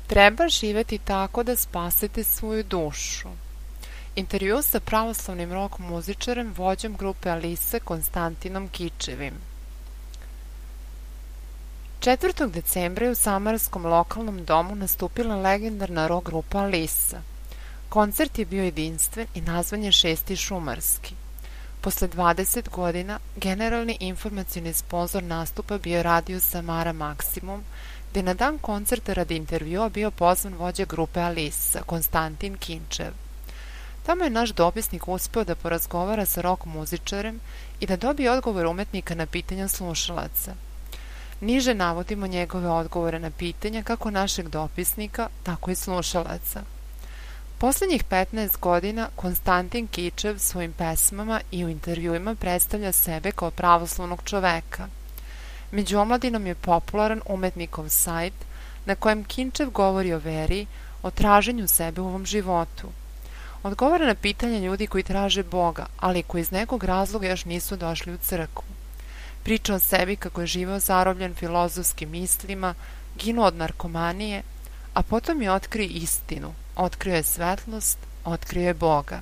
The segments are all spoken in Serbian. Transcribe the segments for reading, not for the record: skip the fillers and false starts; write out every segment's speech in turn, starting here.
Treba živeti tako da spasite svoju dušu. Intervju sa pravoslavnim rock muzičarem, vođom grupe Alisa, Konstantinom Kičevim. 4. decembra je u samarskom lokalnom domu nastupila legendarna rock grupa Alisa. Koncert je bio jedinstven i nazvan je Šesti šumarski. Posle 20 godina, generalni informacioni sponzor nastupa bio Radio Samara Maksimum, gde na dan koncerta radi intervjua bio pozvan vođa grupe Alisa, Konstantin Kinčev. Tamo je naš dopisnik uspeo da porazgovara sa rock muzičarem i da dobije odgovor umetnika na pitanja slušalaca. Niže navodimo njegove odgovore na pitanja kako našeg dopisnika, tako i slušalaca. Poslednjih 15 godina Konstantin Kičev svojim pesmama i u intervjuima predstavlja sebe kao pravoslavnog čoveka. Među omladinom je popularan umetnikov sajt na kojem Kinčev govori o veri, o traženju sebe u ovom životu. Odgovara na pitanja ljudi koji traže Boga, ali koji iz nekog razloga još nisu došli u crkvu. Priča o sebi kako je živeo zarobljen filozofskim mislima, ginuo od narkomanije, a potom je otkrio istinu, otkrio je svetlost, otkrio je Boga.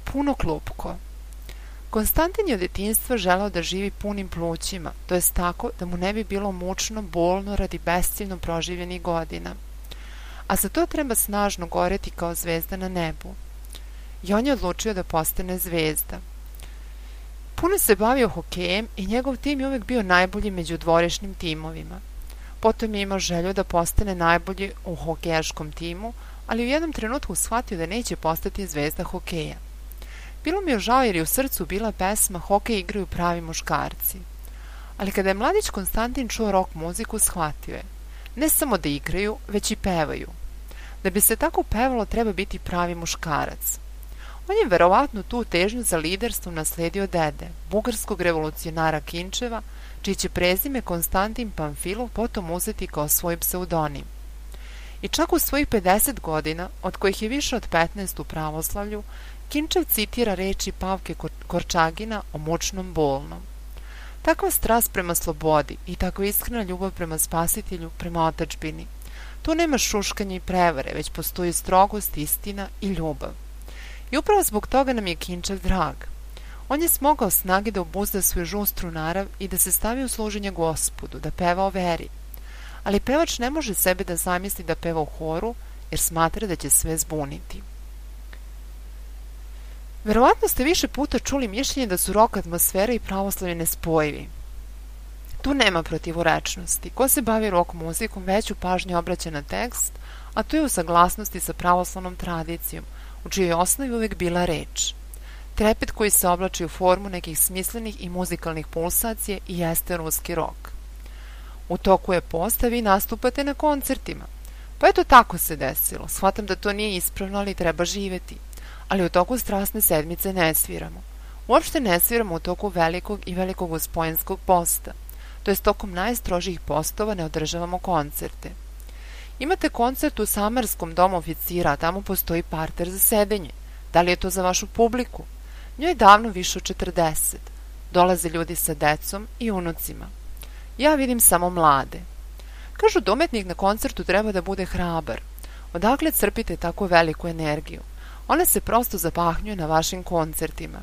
Puno klupko. Konstantin je od detinjstva želeo da živi punim plućima, to jest tako da mu ne bi bilo mučno, bolno radi besciljno proživljenih godina. A za to treba snažno goreti kao zvezda na nebu. I on je odlučio da postane zvezda. Puno se bavio hokejem i njegov tim je uvek bio najbolji među dvorišnim timovima. Potom je imao želju da postane najbolji u hokejaškom timu, ali u jednom trenutku shvatio da neće postati zvezda hokeja. Bilo mi je žao jer je u srcu bila pesma Hokej igraju pravi muškarci. Ali kada je mladić Konstantin čuo rock muziku, shvatio je. Ne samo da igraju, već i pevaju. Da bi se tako pevalo, treba biti pravi muškarac. On je verovatno tu težnju za liderstvom nasledio dede, bugarskog revolucionara Kinčeva, čiji će prezime Konstantin Pamfilov potom uzeti kao svoj pseudonim. I čak u svojih 50 godina, od kojih je više od 15 u pravoslavlju, Kinčev citira reči Pavke Korčagina o mučnom bolnom. Takva strast prema slobodi i takva iskrena ljubav prema spasitelju, prema otadžbini. Tu nema šuškanja i prevare, već postoji strogost, istina i ljubav. I upravo zbog toga nam je Kinčev drag. On je smogao snage da obuzda svoju žustru narav i da se stavi u služenje Gospodu, da peva o veri. Ali pevač ne može sebe da zamisli da peva u horu, jer smatra da će sve zbuniti. Verovatno ste više puta čuli mišljenje da su rock atmosfera i pravoslavlje nespojivi. Tu nema protivurečnosti. Ko se bavi rock muzikom, veću pažnju obraća na tekst, a to je u saglasnosti sa pravoslavnom tradicijom, u čijoj osnovi uvek bila reč. Trepet koji se oblači u formu nekih smislenih i muzikalnih pulsacija i jeste ruski rock. U toku je post, a vi nastupate na koncertima. Pa eto tako se desilo. Shvatam da to nije ispravno, ali treba živeti. Ali u toku strasne sedmice ne sviramo. Uopšte ne sviramo u toku velikog i velikog uspojenskog posta. To jest tokom najstrožijih postova ne održavamo koncerte. Imate koncert u Samarskom domu oficira, a tamo postoji parter za sedenje. Da li je to za vašu publiku? Njoj je davno više od 40. Dolaze ljudi sa decom i unucima. Ja vidim samo mlade. Kažu da umetnik na koncertu treba da bude hrabar. Odakle crpite tako veliku energiju? Ona se prosto zapahnjuje na vašim koncertima.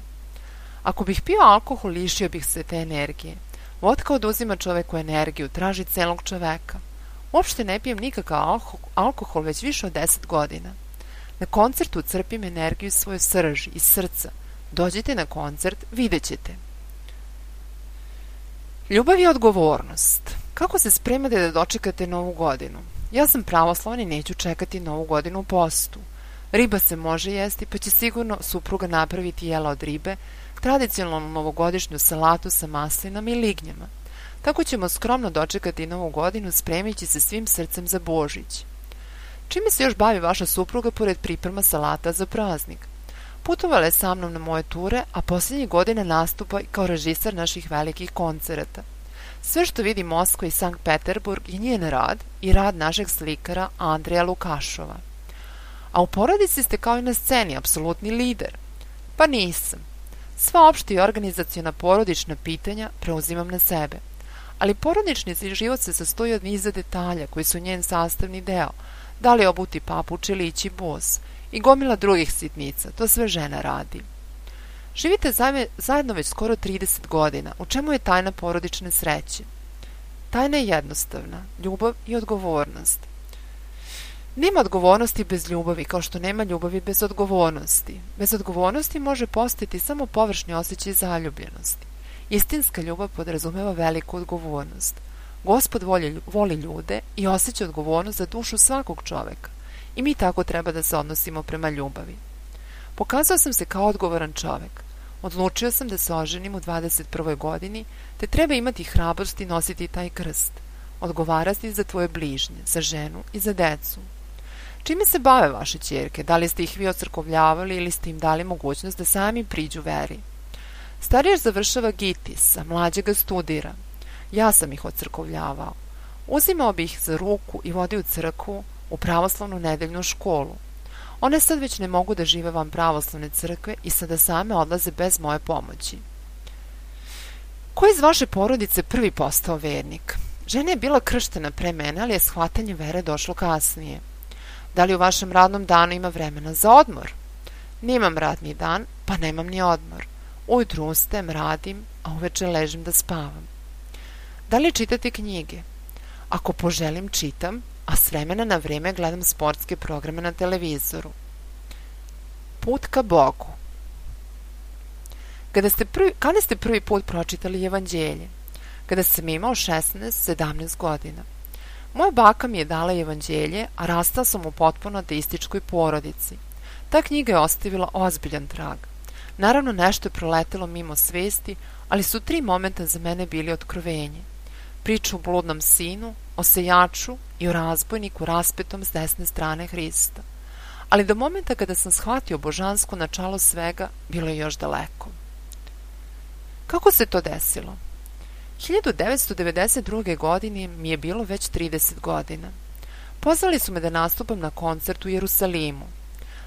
Ako bih pio alkohol, lišio bih se te energije. Vodka oduzima čoveku energiju, traži celog čoveka. Uopšte ne pijem nikakav alkohol već više od 10 godina. Na koncertu crpim energiju iz svoje srži, iz srca. Dođite na koncert, vidjet ćete. Ljubav je odgovornost. Kako se spremate da dočekate Novu godinu? Ja sam pravoslavan i neću čekati Novu godinu u postu. Riba se može jesti, pa će sigurno supruga napraviti jela od ribe, tradicionalnu novogodišnju salatu sa maslinama i lignjama. Tako ćemo skromno dočekati Novu godinu spremići se svim srcem za Božić. Čime se još bavi vaša supruga pored priprema salata za praznik? Putovala je sa mnom na moje ture, a posljednjih godina nastupa kao režisar naših velikih koncerata. Sve što vidi Moskva i Sankt Peterburg je njen rad i rad našeg slikara Andreja Lukašova. A u porodici ste kao i na sceni, apsolutni lider. Pa nisam. Sva opšta i organizaciona porodična pitanja preuzimam na sebe. ali porodični život se sastoji od niza detalja koji su njen sastavni deo, da li obuti papuč ili ići bos, i gomila drugih sitnica, to sve žena radi. Živite zajedno već skoro 30 godina, u čemu je tajna porodične sreće? Tajna je jednostavna, ljubav i odgovornost. Nema odgovornosti bez ljubavi, kao što nema ljubavi bez odgovornosti. Bez odgovornosti može postojati samo površni osjećaj zaljubljenosti. Istinska ljubav podrazumeva veliku odgovornost. Gospod voli ljude i osjeća odgovornost za dušu svakog čoveka. I mi tako treba da se odnosimo prema ljubavi. Pokazao sam se kao odgovoran čovek. Odlučio sam da se oženim u 21. godini, te treba imati hrabrost i nositi taj krst. Odgovarati za tvoje bližnje, za ženu i za decu. Čime se bave vaše ćerke? Da li ste ih vi ocrkovljavali ili ste im dali mogućnost da sami priđu veri? Stariji završava GITIS, a mlađe ga studira. Ja sam ih ocrkovljavao. Uzimao bih ih za ruku i vodio u crkvu, u pravoslavnu nedeljnu školu. One sad već ne mogu da žive van pravoslavne crkve i sada same odlaze bez moje pomoći. Ko je iz vaše porodice prvi postao vernik? Žena je bila krštena pre mene, ali je shvatanje vere došlo kasnije. Da li u vašem radnom danu ima vremena za odmor? Nemam radni dan, pa nemam ni odmor. Ujutru ustajem, radim, a uveče ležim da spavam. Da li čitate knjige? Ako poželim, čitam, a s vremena na vreme gledam sportske programe na televizoru. Put ka Bogu. Kada ste prvi put pročitali evanđelje? Kada sam imao 16-17 godina. Moja baka mi je dala evanđelje, a rastao sam u potpuno ateističkoj porodici. Ta knjiga je ostavila ozbiljan trag. Naravno, nešto je proletelo mimo svesti, ali su 3 momenta za mene bili otkrovenje. Priča o bludnom sinu, o sejaču i o razbojniku raspetom s desne strane Hrista. Ali do momenta kada sam shvatio božansko načalo svega, bilo je još daleko. Kako se to desilo? 1992. godine mi je bilo već 30 godina. Pozvali su me da nastupam na koncertu u Jerusalimu.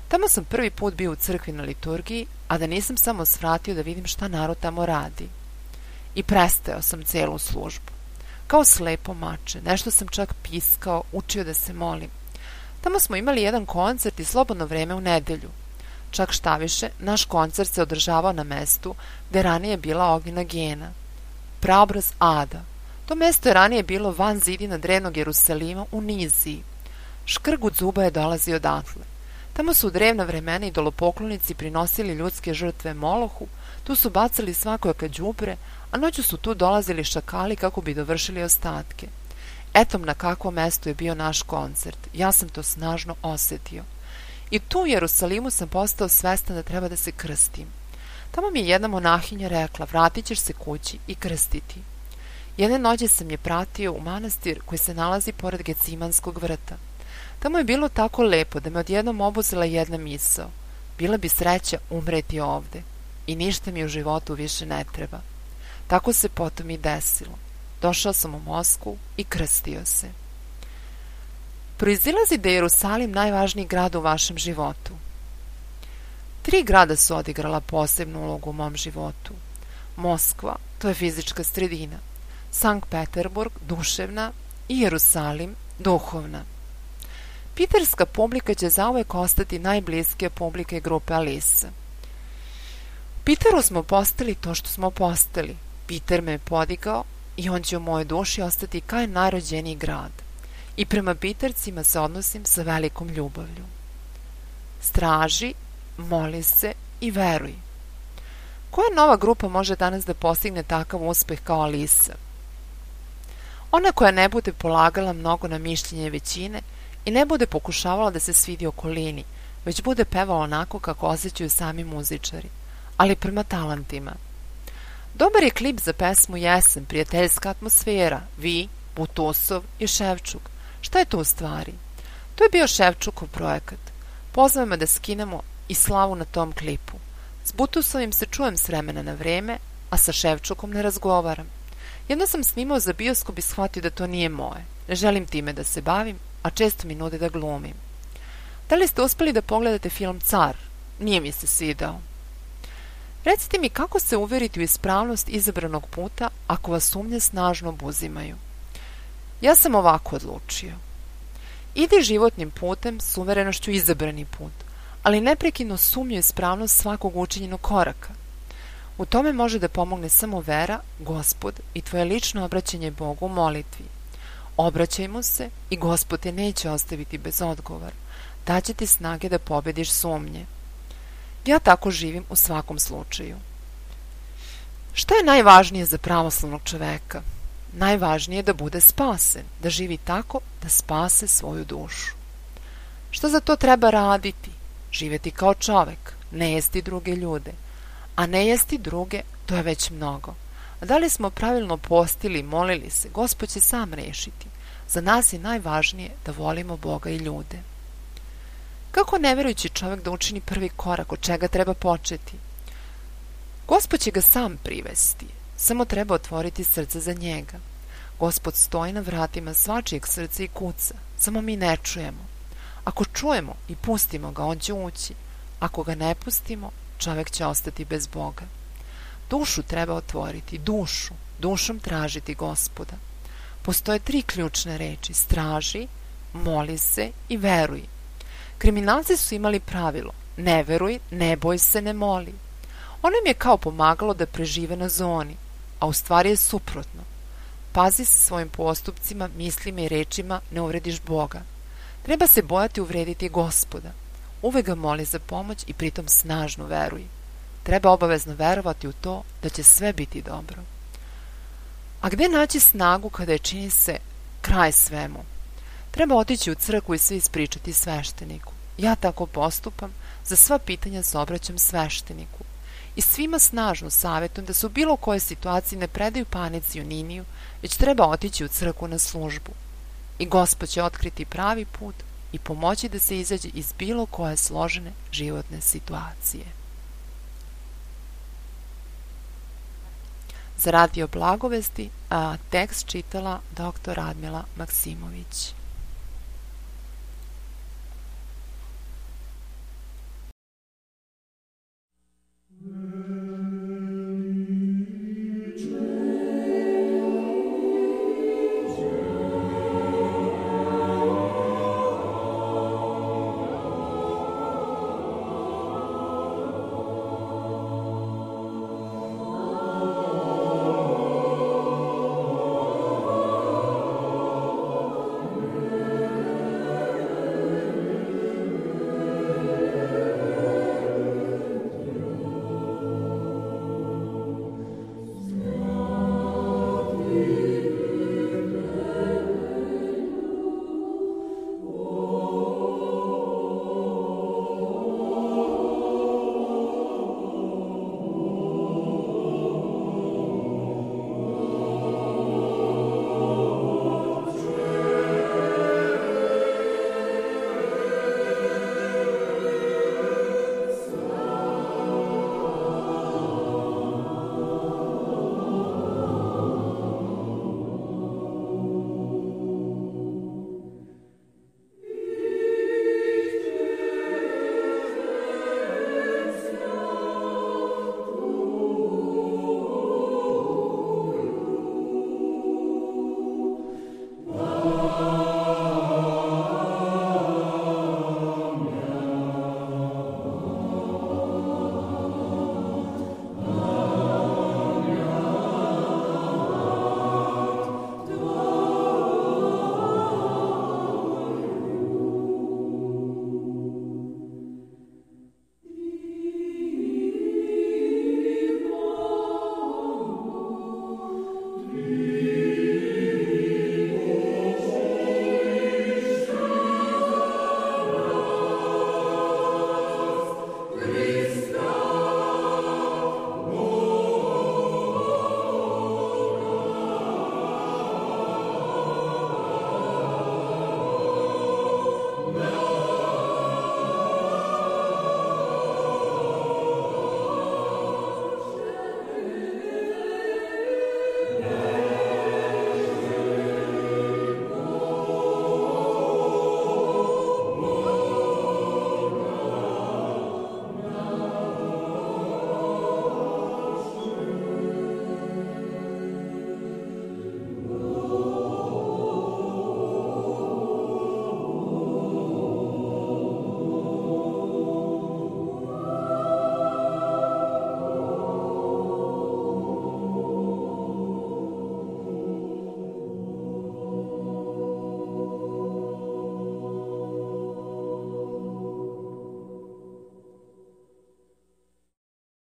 Tamo sam prvi put bio u crkvi na liturgiji, a da nisam samo svratio da vidim šta narod tamo radi. I prestajao sam celu službu. Kao slepo mače, nešto sam čak piskao, učio da se molim. Tamo smo imali jedan koncert i slobodno vreme u nedelju. Čak šta više, naš koncert se održavao na mestu gde ranije bila ognjena gena. Praobraz Ada. To mesto je ranije bilo van zidina drevnog Jerusalima u Niziji. Škrgut zuba je dolazio odatle. Tamo su u drevna vremena idolopoklonici prinosili ljudske žrtve Molohu, tu su bacali svakojaka đubre, a noću su tu dolazili šakali kako bi dovršili ostatke. Etom na kakvom mestu je bio naš koncert. Ja sam to snažno osetio. I tu u Jerusalimu sam postao svestan da treba da se krstim. Tamo mi je jedna monahinja rekla, vratit ćeš se kući i krstiti. Jedne noći sam je pratio u manastir koji se nalazi pored Gecimanskog vrta. Tamo je bilo tako lepo da me odjednom obuzela jedna misao. Bila bi sreća umreti ovde i ništa mi u životu više ne treba. Tako se potom i desilo. Došao sam u Moskvu i krstio se. Proizilazi da je Jerusalim najvažniji grad u vašem životu. 3 grada su odigrala posebnu ulogu u mom životu. Moskva, to je fizička sredina. Sankt Peterburg, duševna, i Jerusalim, duhovna. Piterska publika će zauvek ostati najbliskija publika grupe Alisa. U Piteru smo postali to što smo postali. Piter me je podigao i on će u mojoj duši ostati kao najrođeniji grad. I prema Pitercima se odnosim sa velikom ljubavlju. Straži, moli se i veruj. Koja nova grupa može danas da postigne takav uspeh kao Alisa? Ona koja ne bude polagala mnogo na mišljenje većine i ne bude pokušavala da se svidi okolini, već bude pevala onako kako osjećaju sami muzičari, ali prema talentima. Dobar je klip za pesmu Jesen, prijateljska atmosfera, vi, Butusov i Ševčuk. Šta je to u stvari? To je bio Ševčukov projekat. Pozvao me da skinemo i slavu na tom klipu. S Butusovim se čujem s vremena na vreme, a sa Ševčukom ne razgovaram. Jedno sam snimao za bioskop i shvatio da to nije moje. Ne želim time da se bavim, a često mi nude da glumim. Da li ste uspeli da pogledate film Car? Nije mi se svidao. Recite mi kako se uveriti u ispravnost izabranog puta ako vas sumnje snažno obuzimaju. Ja sam ovako odlučio. Idi životnim putem s uverenošću izabrani put, ali neprekidno sumnju ispravnost svakog učinjenog koraka. U tome može da pomogne samo vera, Gospod i tvoje lično obraćanje Bogu u molitvi. Obraćaj mu se i Gospod te neće ostaviti bez odgovora. Daće ti snage da pobediš sumnje. Ja tako živim u svakom slučaju. Šta je najvažnije za pravoslavnog čoveka? Najvažnije je da bude spasen, da živi tako da spase svoju dušu. Šta za to treba raditi? Živeti kao čovek, ne jesti druge ljude. A ne jesti druge, to je već mnogo. A da li smo pravilno postili i molili se, Gospod će sam rešiti. Za nas je najvažnije da volimo Boga i ljude. Kako neverujući čovek da učini prvi korak, od čega treba početi? Gospod će ga sam privesti, samo treba otvoriti srce za njega. Gospod stoji na vratima svačijeg srca i kuca, samo mi ne čujemo. Ako čujemo i pustimo ga, on će ući. Ako ga ne pustimo, čovek će ostati bez Boga. Dušu treba otvoriti, dušom tražiti Gospoda. Postoje 3 ključne reči: straži, moli se i veruj. Kriminalci su imali pravilo: ne veruj, ne boj se, ne moli. Ono im je kao pomagalo da prežive na zoni, a u stvari je suprotno. Pazi se svojim postupcima, mislima i rečima, ne uvrediš Boga. Treba se bojati uvrediti Gospoda. Uvek ga moli za pomoć i pritom snažno veruj. Treba obavezno verovati u to da će sve biti dobro. A gde naći snagu kada je čini se kraj svemu? Treba otići u crkvu i sve ispričati svešteniku. Ja tako postupam, za sva pitanja se obraćam svešteniku. I svima snažno savjetujem da se u bilo kojoj situaciji ne predaju panici i uniniju, već treba otići u crkvu na službu. I Gospod će otkriti pravi put i pomoći da se izađe iz bilo koje složene životne situacije. Za Radio Blagovesti tekst čitala dr. Radmila Maksimović.